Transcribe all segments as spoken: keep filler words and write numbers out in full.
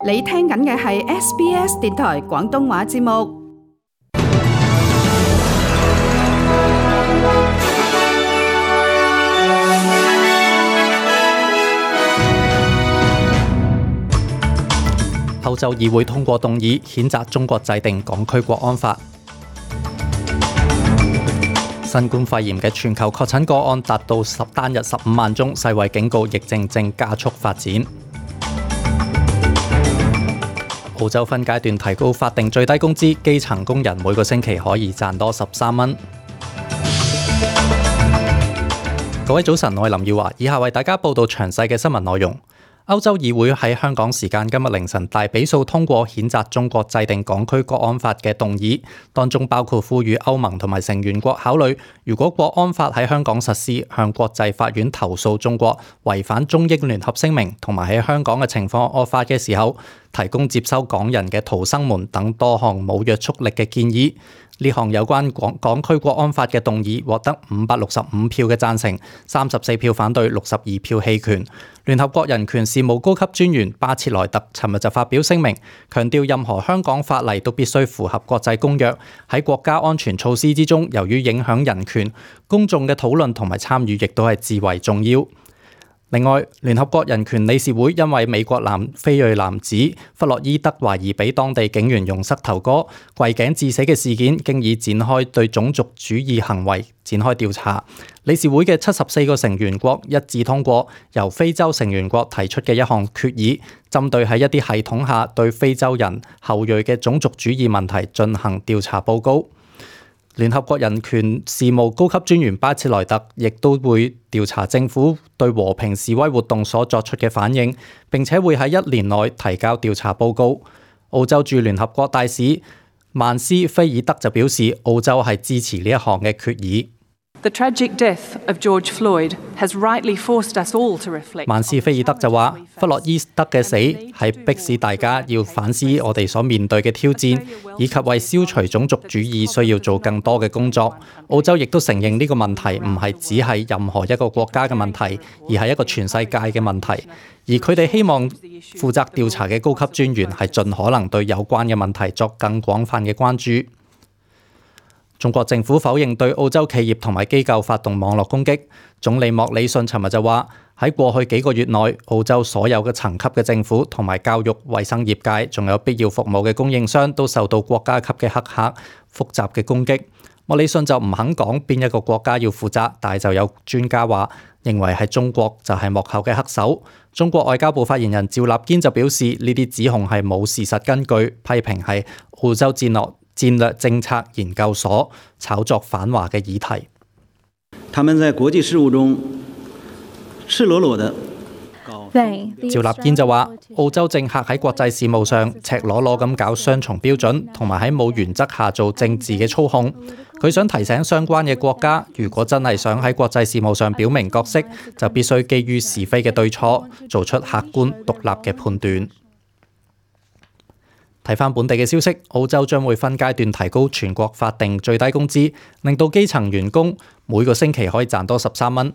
你聽緊嘅係 S B S 電台廣東話節目。歐洲議會通過動議，譴責中國制定港區國安法。新冠肺炎嘅全球確診個案達到十單日十五萬宗，世衛警告疫症正加速發展。澳洲分階段提高法定最低工資，基層工人每個星期可以賺多十三蚊。各位早晨，我係林耀華，以下為大家報道詳細嘅新聞內容。歐洲議會喺香港時間今日凌晨大比數通過譴責中國制定港區國安法嘅動議，當中包括呼籲歐盟同埋成員國考慮，如果國安法喺香港實施，向國際法院投訴中國違反中英聯合聲明，同埋喺香港嘅情況惡化嘅時候，提供接收港人嘅逃生門等多項冇約束力嘅建議。呢項有關港港區國安法嘅動議獲得五百六十五票嘅贊成，三十四票反對，六十二票棄權。聯合國人權事務高級專員巴切萊特尋日就發表聲明，強調任何香港法例都必須符合國際公約。喺國家安全措施之中，由於影響人權，公眾嘅討論同埋參與亦都係至為重要。另外，聯合國人權理事會因為美國南非裔男子弗洛伊德懷疑俾當地警員用膝頭哥跪頸致死嘅事件，經已展開對種族主義行為展開調查。理事會嘅七十四個成員國一致通過由非洲成員國提出嘅一項決議，針對喺一啲系統下對非洲人後裔嘅種族主義問題進行調查報告。聯合國人權事務高級專員巴切萊特亦都會調查政府對和平示威活動所作出嘅反應，並且會喺一年內提交調查報告。澳洲駐聯合國大使曼斯菲爾德就表示，澳洲係支持呢一項嘅決議。The tragic death of George Floyd has rightly forced us all to reflect. 曼斯菲爾德就話，弗洛伊德嘅死係迫使大家要反思我哋所面對嘅挑戰，以及為消除種族主義需要做更多嘅工作。澳洲亦都承認呢個問題唔係只係任何一個國家嘅問題，而係一個全世界嘅問題。而佢哋希望負責調查嘅高級專員係盡可能對有關嘅問題作更廣泛嘅關注。中國政府否認對澳洲企業同埋機構發動網絡攻擊。總理莫里遜尋日就話，喺過去幾個月內，澳洲所有嘅層級嘅政府同埋教育、衛生業界，仲有必要服務嘅供應商都受到國家級嘅黑客複雜嘅攻擊。莫里遜就唔肯講邊一個國家要負責，但係就有專家話認為係中國就係幕後嘅黑手。中國外交部發言人趙立堅就表示，呢啲指控係冇事實根據，批評係澳洲戰略戰略政策研究所炒作反華嘅議題。他們在國際事務中赤裸裸的。趙立堅就話，澳洲政客喺國際事務上赤裸裸咁搞雙重標準，同埋喺冇原則下做政治嘅操控。佢想提醒相關嘅國家，如果真係想喺國際事務上表明角色，就必須基於是非嘅對錯，做出客觀獨立嘅判斷。睇返本地嘅消息，澳洲將會分階段提高全國法定最低工資，令到基層員工每個星期可以賺多十三蚊。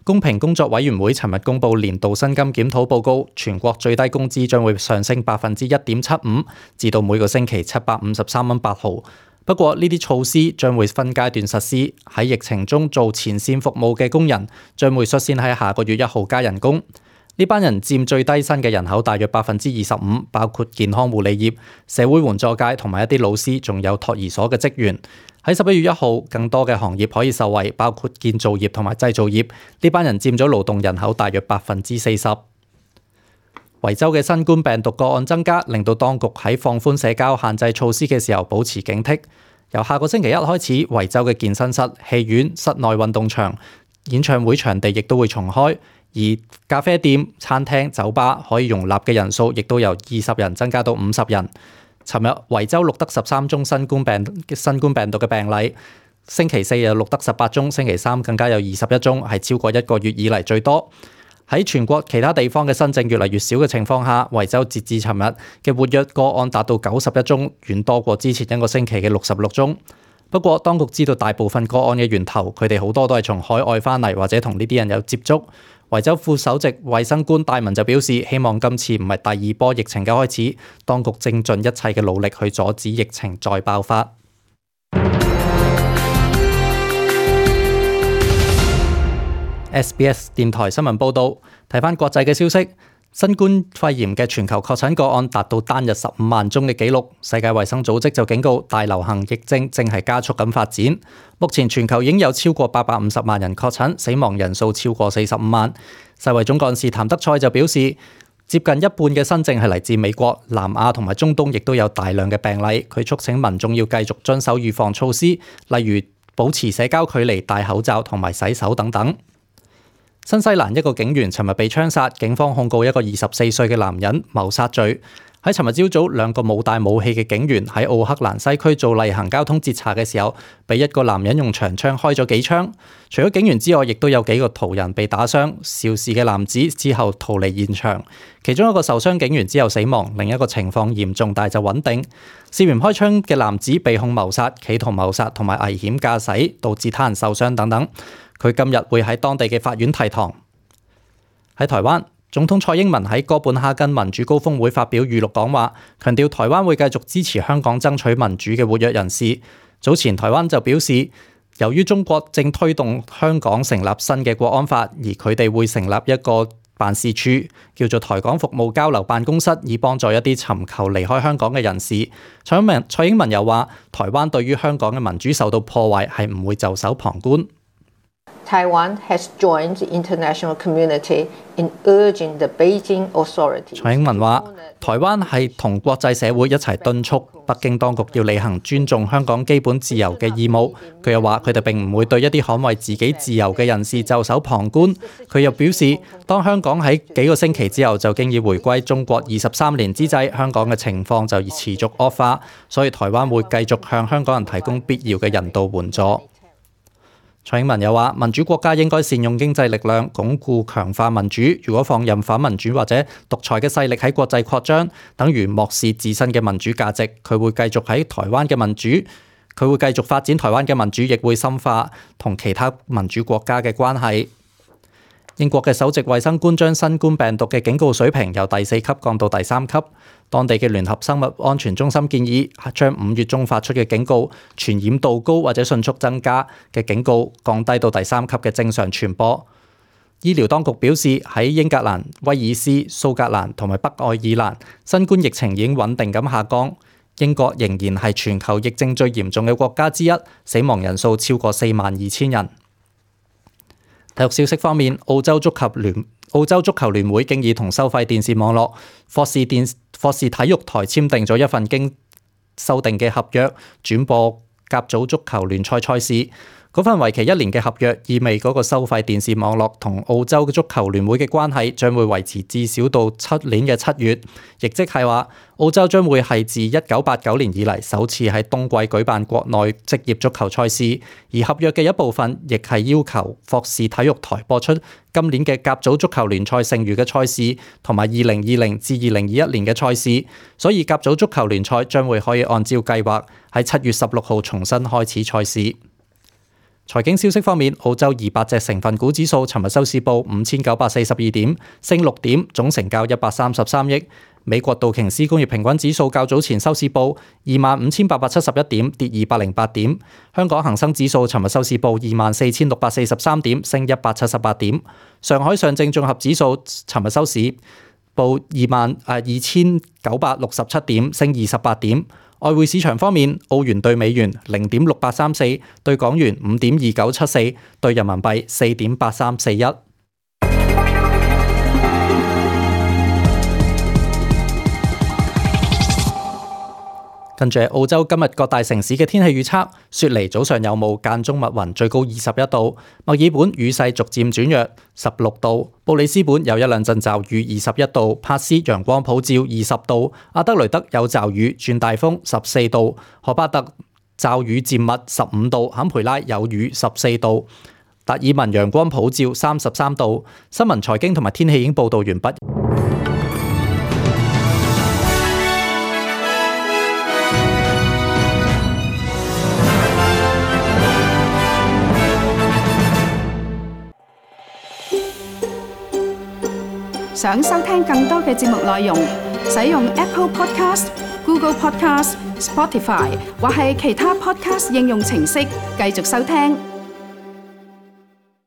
公平工作委員會尋日公布年度薪金檢討報告，全國最低工資將會上升百分之一點七五，至到每個星期七百五十三蚊八毫。不過呢啲措施將會分階段實施，喺疫情中做前線服務嘅工人將會率先喺下個月一號加人工。呢班人佔最低薪嘅人口大約百分之二十五，包括健康護理業、社會援助界同埋一啲老師，仲有托兒所嘅職員。喺十一月一號，更多嘅行業可以受惠，包括建造業同埋製造業。呢班人佔咗勞動人口大約百分之四十。維州嘅新冠病毒個案增加，令到當局喺放寬社交限制措施嘅時候保持警惕。由下個星期一開始，維州嘅健身室、戲院、室內運動場、演唱會場地亦都會重開。而咖啡店、餐廳、酒吧可以容納嘅人數亦都由二十人增加到五十人。尋日維州錄得十三宗新冠病新冠病毒嘅病例，星期四又錄得十八宗，星期三更加有二十一宗，係超過一個月以嚟最多。喺全國其他地方嘅新症越嚟越少嘅情況下，維州截至尋日嘅活躍個案達到九十一宗，遠多過之前一個星期嘅六十六宗。不過，當局知道大部分個案嘅源頭，佢哋好多都係從海外翻嚟或者同呢啲人有接觸。維州副首席衛生官戴文就表示，希望今次唔係第二波疫情嘅開始，當局正盡一切嘅努力去阻止疫情再爆發。S B S 電台新聞報導，睇返國際嘅消息。新冠肺炎嘅全球確診個案達到單日十五萬宗嘅紀錄，世界衛生組織就警告大流行疫症正係加速咁發展。目前全球已經有超過八百五十萬人確診，死亡人數超過四十五萬。世衛總幹事譚德塞就表示，接近一半嘅新症係嚟自美國、南亞同埋中東，亦都有大量嘅病例。佢促請民眾要繼續遵守預防措施，例如保持社交距離、戴口罩同埋洗手等等。新西蘭一個警員尋日被槍殺，警方控告一個二十四歲嘅男人謀殺罪。喺尋日朝早，兩個冇帶武器嘅警員喺奧克蘭西區做例行交通截查嘅時候，被一個男人用長槍開咗幾槍。除咗警員之外，亦都有幾個途人被打傷。肇事嘅男子之後逃離現場，其中一個受傷警員之後死亡，另一個情況嚴重但就穩定。涉嫌開槍嘅男子被控謀殺、企圖謀殺同埋危險駕駛，導致他人受傷等等。佢今日會喺當地嘅法院提堂。喺台灣，總統蔡英文喺哥本哈根民主高峰會發表預錄講話，強調台灣會繼續支持香港爭取民主嘅活躍人士。早前台灣就表示，由於中國正推動香港成立新嘅國安法，而佢哋會成立一個辦事處，叫做台港服務交流辦公室，以幫助一啲尋求離開香港嘅人士。蔡英文蔡英文又話，台灣對於香港嘅民主受到破壞係唔會袖手旁觀。Taiwan has joined the international community in urging the Beijing authorities. 蔡英文話：台灣係同國際社會一齊敦促北京當局要履行尊重香港基本自由嘅義務。佢又話：佢哋並唔會對一啲捍衛自己自由嘅人士袖手旁觀。佢又表示，當香港喺幾個星期之後就經已回歸中國二十三年之際，香港嘅情況就持續惡化，所以台灣會繼續向香港人提供必要嘅人道援助。蔡英文又話：民主國家應該善用經濟力量，鞏固強化民主。如果放任反民主或者獨裁嘅勢力喺國際擴張，等於漠視自身嘅民主價值。佢會繼續喺台灣嘅民主，佢會繼續發展台灣嘅民主，亦會深化同其他民主國家嘅關係。英國嘅首席衛生官將新冠病毒嘅警告水平由第四級降到第三級。當地嘅聯合生物安全中心建議將五月中發出嘅警告傳染度高或者迅速增加嘅警告降低到第三級嘅正常傳播。醫療當局表示，喺英格蘭、威爾斯、蘇格蘭同埋北愛爾蘭，新冠疫情已經穩定咁下降。英國仍然係全球疫症最嚴重嘅國家之一，死亡人數超過四萬二千人。體育消息方面，澳洲足球聯澳洲足球聯會經已同收費電視網絡霍士電霍士體育台簽訂咗一份經修訂嘅合約，轉播甲組足球聯賽賽事。嗰份為期一年嘅合約意味嗰個收費電視網絡同澳洲嘅足球聯會嘅關係將會維持至少到七年嘅七月，亦即係話澳洲將會係自一九八九年以嚟首次喺冬季舉辦國內職業足球賽事，而合約嘅一部分亦係要求霍士體育台播出今年嘅甲組足球聯賽剩餘嘅賽事同埋二零二零至二零二一年嘅賽事，所以甲組足球聯賽將會可以按照計劃喺七月十六號重新開始賽事。財經消息方面，澳洲二百隻成分股指數尋日收市報五千九百四十二點，升六點，總成交一百三十三億。美國道瓊斯工業平均指數較早前收市報二萬五千八百七十一點，跌二百零八點。香港恒生指數尋日收市報二萬四千六百四十三點，升一百七十八點。上海上證綜合指數尋日收市報二萬誒二千九百六十七點，升二十八點。外匯市場方面，澳元對美元零點六八三四，對港元五點二九七四，對人民幣四點八三四一。跟住澳洲今日各大城市嘅天氣預測：雪梨早上有霧，間中密雲，最高二十一度；墨爾本雨勢逐漸轉弱，十六度；布里斯本有一兩陣驟雨，二十一度；珀斯陽光普照，二十度；阿德雷德有驟雨，轉大風，十四度；荷巴特驟雨漸密，十五度；坎培拉有雨，十四度；達爾文陽光普照，三十三度。新聞財經同埋天氣已經報導完畢。想收聽更多嘅節目內容，使用 Apple Podcast、Google Podcast、Spotify 或係其他 Podcast 應用程式繼續收聽。